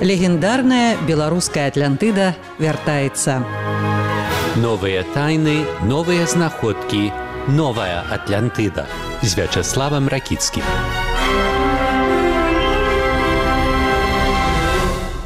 Легендарная беларуская Атлантыда вяртаецца. Новыя тайны, новыя знаходкі, новая Атлантыда з Вячеславам Ракіцкім.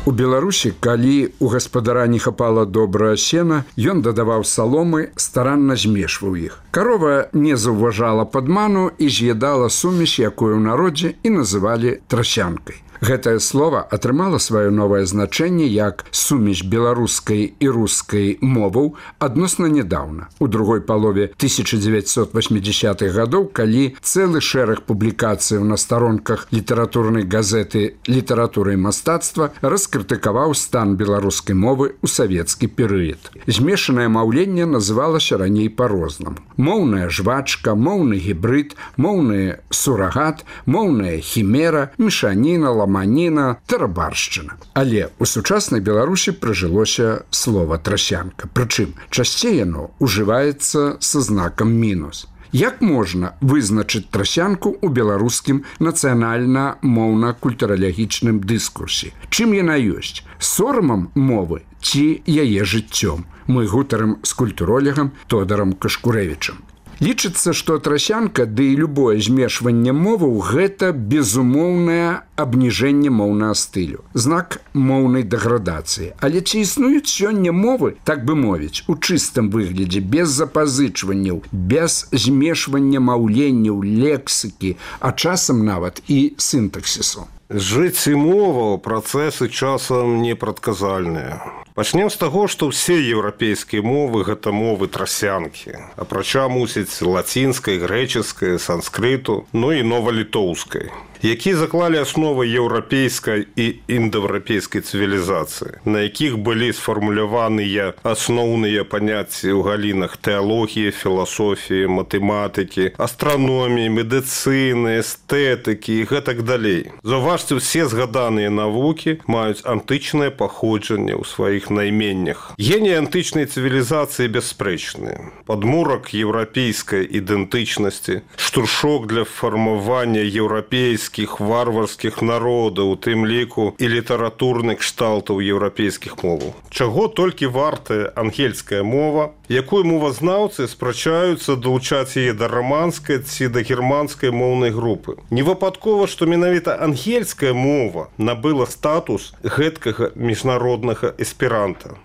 У Беларусі, калі у гаспадара не хапала добрае сена, ён дадаваў саломы, старанна змешваў іх. Карова не заўважала падману і з'ядала сумесь, якую ў народзе і называлі трасянкай. Гэтае слова атрымала сваё новае значэнне як сумесь беларускай і рускай моваў адносна нядаўна. У другой палове 1980-х гадоў, калі цэлы шэраг публікацыяў на старонках літаратурнай газеты «Літаратура і мастацтва» раскрытыкаваў стан беларускай мовы ў савецкі перыяд. Змешанае маўленне называлася раней па-рознаму. Моўная жвачка, моўны гібрид, моўны сурагат, моўная хімера, мешаніна, ламаніна, тарабаршчына. Але ў сучаснай Беларусі прыжылося слова трасянка. Прычым, часцей яно ўжываецца са знакам мінус. Як можна вызначыць трасянку ў беларускім нацыянальна-моўна-культуралагічным дыскурсе? Чым яна ёсць? Сорамам мовы ці яе жыццём? Мы гутарым з культуролегам Тодорам Кашкурэвічам. Лічыцца, што трасянка, ды і любое змешванне моваў – гэта безумоўнае абніжэнне моўнага стылю, знак моўнай дэградацыі. Але ці існуюць сёння мовы, так бы мовіць, у чыстым выглядзе, без запазычванняў, без змешвання маўленняў, лексікі, а часам нават і сінтаксісу? Жыць і мова працэсы часам непрадказальныя. Пачнем з таго, што ўсе еўрапейскія мовы – гэта мовы трасянкі. Апрача, мусіць, лацінскай, грэчаскай, санскрыту, ну і новалітоўскай, які заклалі асновы еўрапейскай і індаеўрапейскай цывілізацыі, на якіх былі сфармуляваныя асноўныя паняцці ў галінах тэалогіі, філасофіі, матэматыкі, астраноміі, медыцыны, эстэтыкі і гэтак далей. Заўважце, усе згаданыя навукі маюць антычнае паходжанне ў сваіх найменнях. Гений антычнай цывілізацыі бясспрэчны. Падмурак еўрапейскай ідэнтычнасці, штуршок для фармавання еўрапейскіх варварскіх народаў, у тым ліку і літаратурных кшталтаў еўрапейскіх моваў. Чаго толькі вартая ангельская мова, якую мовазнаўцы спрачаюцца далучаць яе да раманскай ці да германскай моўнай групы. Не выпадкова, што менавіта ангельская мова набыла статус гэткага міжнароднага эсперанта.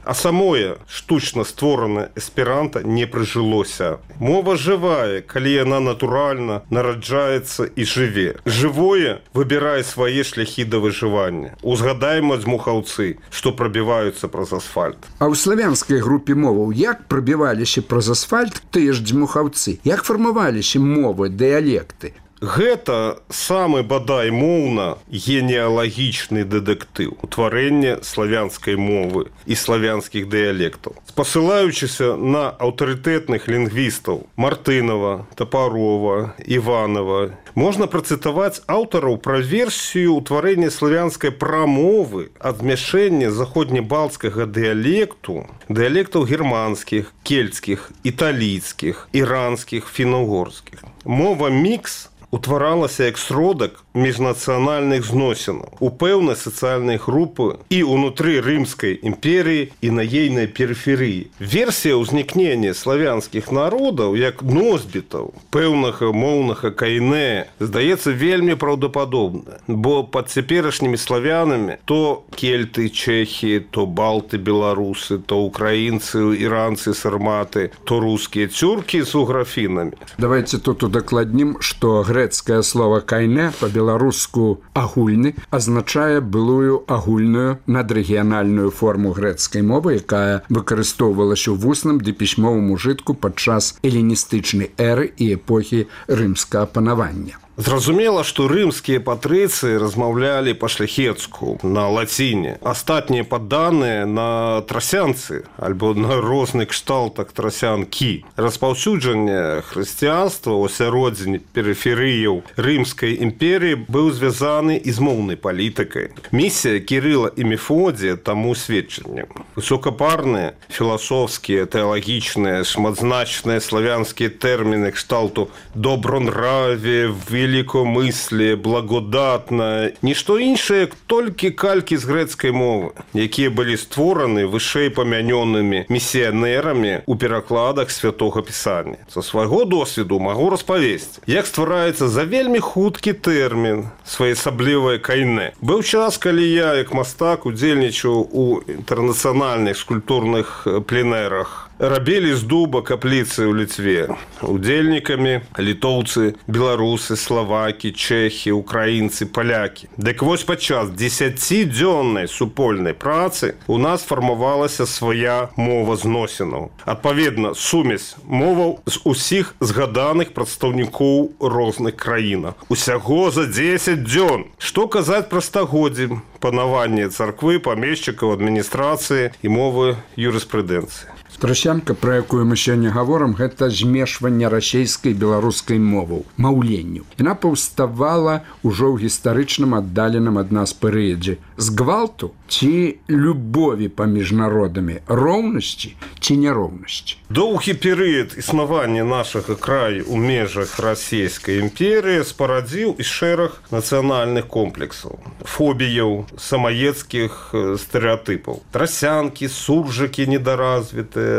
А самое штучна створанае эсперанта не прыжылося. Мова жывая, калі яна натуральна нараджаецца і жыве. Жывое выбірае свае шляхі да выжывання. Узгадаем дзьмухаўцы, што прабіваюцца праз асфальт. А ў славянскай групе моваў як прабіваліся праз асфальт тыя ж дзьмухаўцы? Як фармаваліся мовы, дыялекты? Гэта самы бадай моўна генеалагічны дэтэктыў, утварэнне славянскай мовы і славянскіх дыялектаў. Спасылаючыся на аўтарытэтных лінгвістаў Мартынова, Тапарова, Іванова, можна працытаваць аўтараў пра версію ўтварэння славянскай прамовы ад змяшэння заходнебалцкага дыялекту, дыялектаў германскіх, кельцкіх, італійскіх, іранскіх, фіна-угорскіх. Мова мікс утваралася як сродак міжнацыянальных зносінаў у пэўнай сацыяльнай групы і ўнутры Рымскай імперіі і на ейнай перыферыі. Версія ўзнікнення славянскіх народаў як носьбітаў пэўнага моўнага кайнэ здаецца вельмі праўдападобна, бо пад цяперашнімі славянамі то кельты, чэхі, то балты, беларусы, то украінцы, іранцы, сарматы, то рускія цюркі з уграфінамі. Давайте тут удакладнім, што грэцкае слово «кайне» па-беларуску «агульны» азначае былую агульную надрэгіянальную форму грэцкай мовы, якая выкарыстоўвалася ў вусным ды пісьмовым ужытку падчас эліністычнай эры і эпохі рымскага панавання. Зразумела, што рымскія патрыцыі размаўлялі па-шляхецку, на лаціне. Астатнія падданыя на трасянцы, альбо на розных кшталтах трасянкі. Распаўсюджанне хрысціянства ў асяроддзі перыферыяў Рымскай імперіі быў звязаны і з моўнай палітыкай. Місія Кірыла і Мефодія таму сведчанне. Высокапарныя, філасофскія, тэалагічныя, шматзначныя славянскія тэрміны кшталту «добронравие», великомыслие, благодатное, нішто іншае, толькі калькі з грэцкай мовы, якія былі створаны вышэй памянёнымі місіянерамі ў перакладах святога пісання. Са свайго досведу магу распавесці, як ствараецца за вельмі хуткі тэрмін своеасаблівае кайне. Быў час, калі я, як мастак, удзельнічаў у інтэрнацыянальных скульптурных пленэрах. Рабілі з дуба капліцы ў Літве. Удзельнікамі літоўцы, беларусы, славакі, чэхі, украінцы, палякі. Дык вось падчас 10-дзённай супольнай працы у нас фармавалася свая мова зносінаў. Адпаведна, сумесь моваў з усіх згаданых прадстаўнікоў розных краінах. Усяго за 10 дзён. Што казаць пра стагоддзі панавання царквы, памешчыкаў, адміністрацыі і мовы юрыспрудэнцыі. Трасянка, пра якую мы сёння гаворым, гэта змешванне расейскай і беларускай моваў, маўленняў. Яна паўставала ўжо ў гістарычным аддаленым ад нас перыядзе. З гвалту ці любові паміж народамі, роўнасці ці няроўнасці. Доўгі перыяд існавання нашага краю ў межах расійскай імперыі спарадзіў і шэраг нацыянальных комплексаў, фобіяў, самаецкіх стэрэатыпаў. Трасянкі, суржыкі недаразвітыя.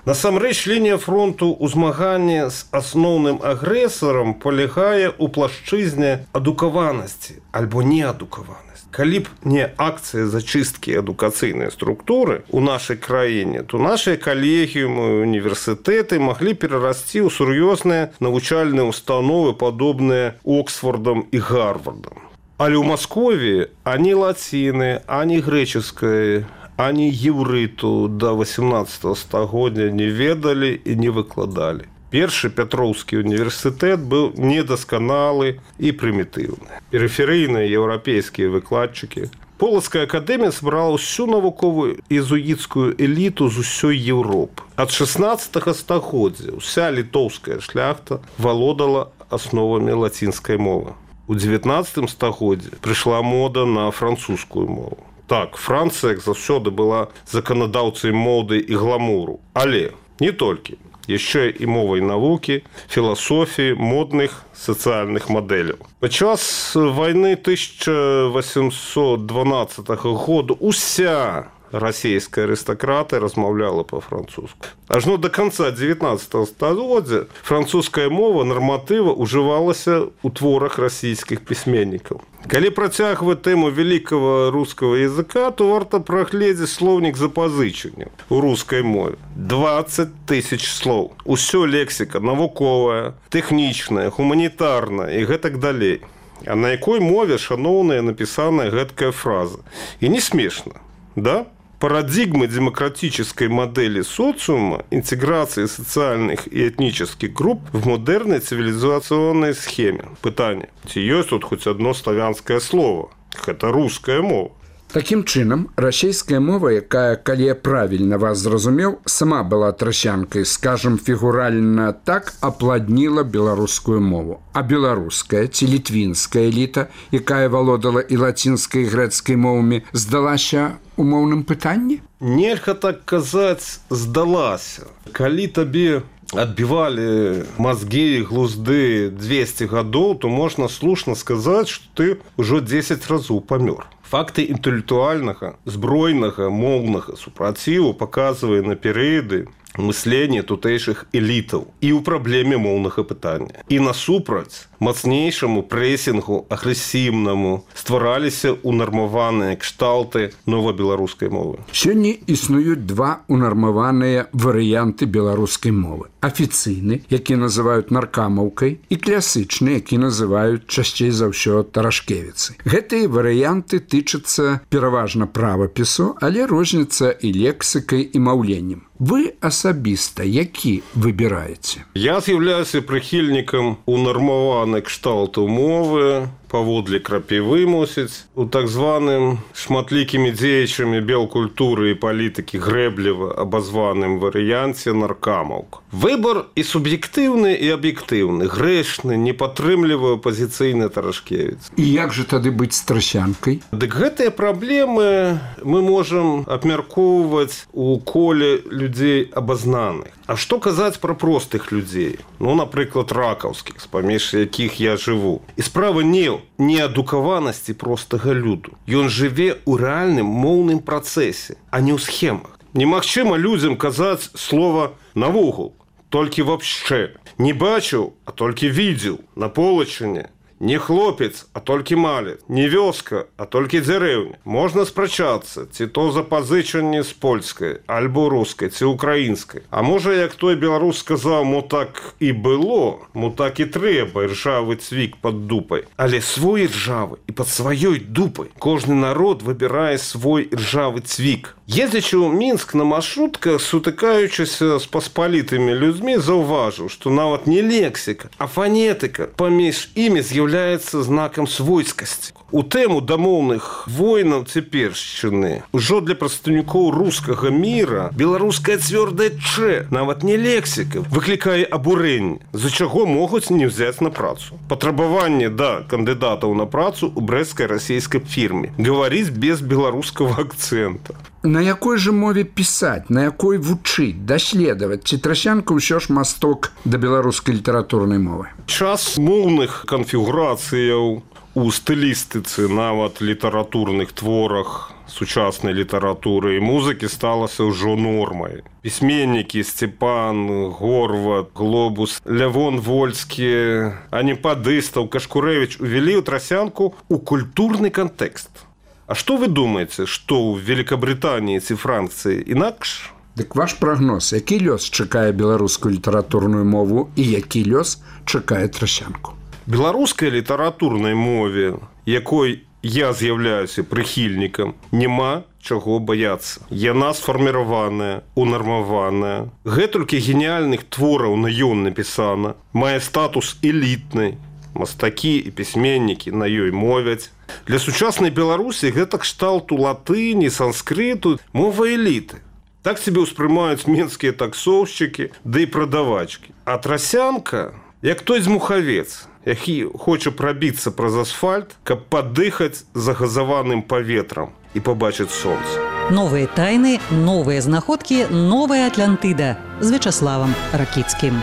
Насамрэч, лінія фронту ў змаганні з асноўным агрэсарам палягае ў плашчызне адукаванасці альбо неадукаванасці. Калі б не акцыя зачысткі адукацыйнай структуры ў нашай краіне, то нашыя калегіумы, універсітэты маглі перарасці ў сур'ёзныя навучальныя установы, падобныя Оксфордам і Гарвардам. Але ў Маскові ані лаціны, ані грэчаскай, ані еўрыту да 18 стагоддзя не ведалі і не выкладалі. Першы Пятроўскі універсітэт быў недасканалы і прымітыўны. Перыферыйныя еўрапейскія выкладчыкі. Полацкая акадэмія збрала ўсю навуковую езуіцкую эліту з усёй Еўропы. Ад 16 стагоддзя ўся літоўская шляхта валодала асновамі лацінскай мовы. У 19 стагоддзі прыйшла мода на французскую мову. Так, Францыя, як заўсёды, была заканадаўцай моды і гламуру. Але не толькі. Яшчэ і мовай навукі, філасофіі, модных сацыяльных мадэляў. Падчас вайны 1812 году уся расійская арыстакратыя размаўляла па-французску. Ажно да канца 19 стагоддзя французская мова нарматыва ўжывалася ў творах расійскіх пісьменнікаў. Калі працягваць тэму великого рускага языка, то варта прагледзець слоўнік запазычання ў рускай мове. 20 000 слоў. Усё лексіка навуковая, тэхнічная, гуманітарная і гэтак далей. А на якой мове, шаноўная, напісаная гэткая фраза? І не смешна, да? Парадигмы демократической модели социума, интеграции социальных и этнических групп в модерной цивилизационной схеме. Пытание. Ці ёсць тут хоть одно славянское слово? Это русская мова. Такім чынам, расійская мова, якая, калі я правільна вас зразумеў, сама была трасянкай, скажам, фігуральна так апладніла беларускую мову. А беларуская ці літвінская эліта, якая валодала і лацінскай, і грэцкай мовамі, здалася у моўным пытанні? Нельга так казаць, здалася. Калі табе адбівалі мазгі і глузды 200 гадоў, то можна слушна сказаць, што ты ўжо 10 разоў памёр. Факты інтэлектуальнага, збройнага, моўнага супраціву паказвае на перыяды мыслення тутэйшых элітаў і ў праблеме моўнага пытання. І насупраць мацнейшаму прэсінгу агрэсіўнаму ствараліся унармаваныя кшталты новабеларускай мовы. Сёння існуюць два унармаваныя варыянты беларускай мовы. Афіцыйны, які называюць наркамаўкай, і класычны, які называюць часцей за ўсё тарашкевіцы. Гэтыя варыянты тычацца пераважна правапісу, але розніца і лексікай, і маўленнем. Вы асабіста які выбіраеце? Я з'яўляюся прыхільнікам унармаванай кшталту мовы паводле крапівы, мусіць, у так званым шматлікімі дзеячамі белкультуры і палітыкі грэбліва абазваным варыянце наркамаўка. Выбор і суб'ектыўны, і аб'ектыўны, грэшны, не падтрымлівае апазіцыйны Тарашкевіц. І як жа тады быць з трасянкай? Дык гэтыя праблемы мы можам абмяркоўваць у коле людзей абазнаных. А што казаць пра простых людзей? Ну, напрыклад, ракаўскіх, паміж якіх я жыву. І справа не ў неадукаванасці простага люду. Ён жыве ў рэальным моўным працэсе, а не ў схемах. Немагчыма людзям казаць слова «навогул», толькі «вообще». Не бачыў, а толькі видзеў, на полачыне. Не хлопец, а толькі малец. Не вёска, а толькі дзярэўня. Можна спрачацца, ці то запазычанне з польскай, альбо рускай, ці украінскай. А можа, як той беларус сказаў, мо так і было, мо так і трэба, іржавы цвік пад дупай. Але свой іржавы і пад сваёй дупай. Кожны народ выбірае свой іржавы цвік. Ездзячы ў Мінск на маршрутках, сутыкаючыся з паспалітымі людзьмі, заўважыў, што нават не лексіка, а фанетыка паміж імі з'яўляецца знакам свойскасці. У тэму дамоўных войнаў цяпершчыны ужо для прадстаўнікоў рускага міра беларуская цвёрдая «ч», нават не лексіка, выклікае абурэнне, з-за чаго могуць не ўзяць на працу. Патрабаванне да кандыдатаў на працу ў брэсцкай расійскай фірме. Гаварыць без беларускага акцэнта. На якой жа мове пісаць, на якой вучыць, даследаваць? Ці трасянка ўсё ж масток да беларускай літаратурнай мовы? Час моўных канфігурацыяў у стылістыцы, нават літаратурных творах сучаснай літаратуры і музыкі сталася ўжо нормай. Пісьменнікі Сцепан, Горват, Глобус, Лявон Вольскі, Аніпадыстаў, Кашкурэвіч увялі ў трасянку ў культурны кантэкст. А што вы думаеце, што ў Великабрытаніі ці Францыі інакш? Дык ваш прагноз, які лёс чакае беларускую літаратурную мову і які лёс чакае трасянку? Беларускай літаратурнай мове, якой я з'яўляюся прыхільнікам, няма чаго баяцца. Яна сфарміраваная, унармаваная. Гэтулькі геніяльных твораў на ён напісана, мае статус элітнай. Мастакі і пісьменнікі на ёй мовяць. Для сучаснай Беларусі гэта кшталту латыні, санскрыту, мова эліты. Так себе ўспрымаюць менскія таксоўшчыкі, да і прадавачкі. А трасянка, як той дзьмухавец, які хоча прабіцца праз асфальт, каб падыхаць загазаваным паветрам і пабачыць сонца. Новыя тайны, новыя знаходкі, новая Атлантыда з Вячаславам Ракіцкім.